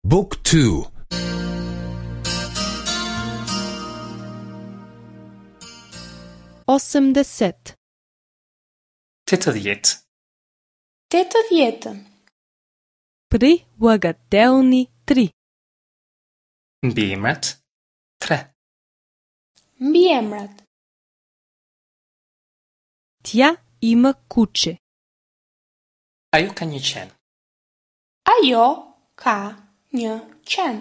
Book 2 80. 80. 80. Прилагателни 3. Mbiemrat 3. Mbiemrat. Тя има куче. Ajo ka një qen. Ajo ka një qen.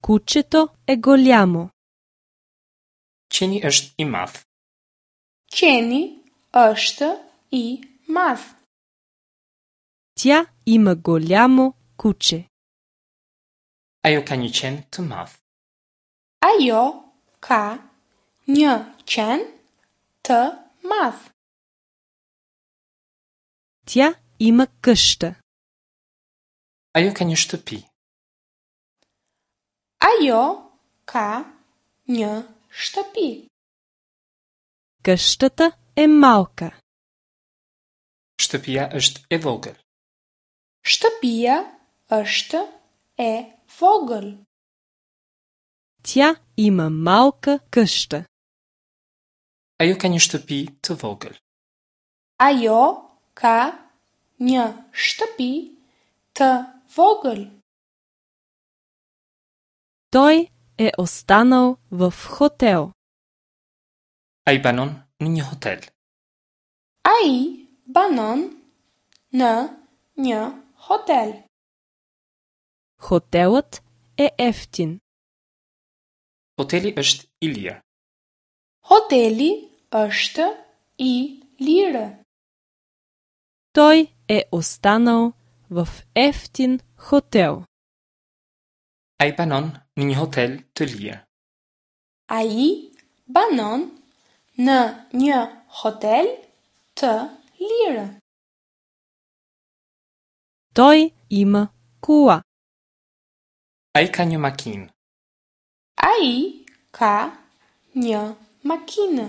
Кучето е голямо. Qeni është i madh. Qeni është i madh. Тя има голямо куче. Ajo ka një qen të madh. Ajo ka një qen të madh. Тя има къща. Ajo ka një shtëpi. Ajo ka një shtëpi. Къщата е малка. Shtëpia është e vogël. Shtëpia është e vogël. Тя има малка къща. Ajo ka një shtëpi të vogël. Ajo ka një shtëpi të vogël. Той е останал в хотел. Ai banon në një hotel. Ai banon në një hotel. Хотелът е евтин. Hoteli është i lirë. Hoteli është i lirë. Той е останал в евтин хотел. Ai banon në një hotel të lirë. Ai banon në një hotel të lirë. Той има кола. Ai ka një makinë. Ai ka një makinë.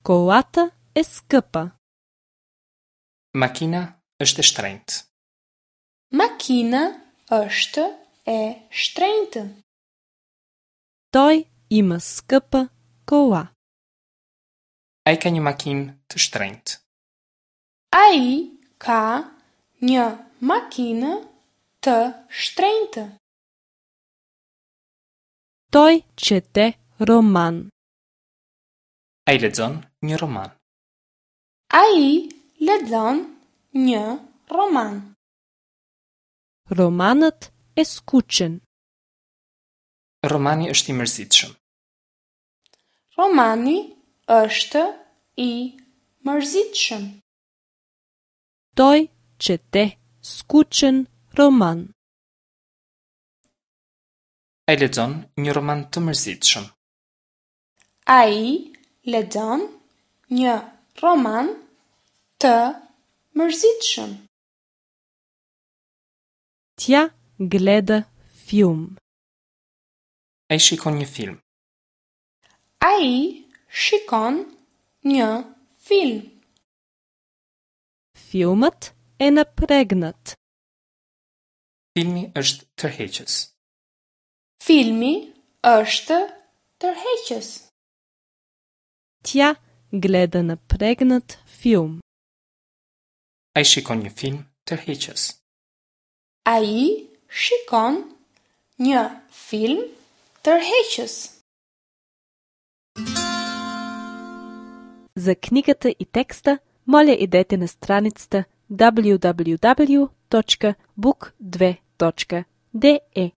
Колата е скъпа. Makina është e shtrenjtë. Makina është e shtrenjtë. Той има скъпа кола. Ai ka një makinë të shtrenjtë. Ai ka një makinë të shtrenjtë. Той чете роман. Ai lexon një roman. Ai lexon një roman. Романът е скучен. Romani është i mërzitshëm. Romani është i mërzitshëm. Той чете скучен роман. Ai lexon një roman të mërzitshëm. Ai lexon një roman të mërzitshëm. Тя гледа филм. Ai shikon një film. Ai shikon një film. Филмът е напрегнат. Filmi është tërheqës. Filmi është tërheqës. Тя гледа напрегнат филм. Ai shikon një film tërheqës. Ai shikon një film tërheqës. За книгата и текста, моля идете на страницата www.book2.de.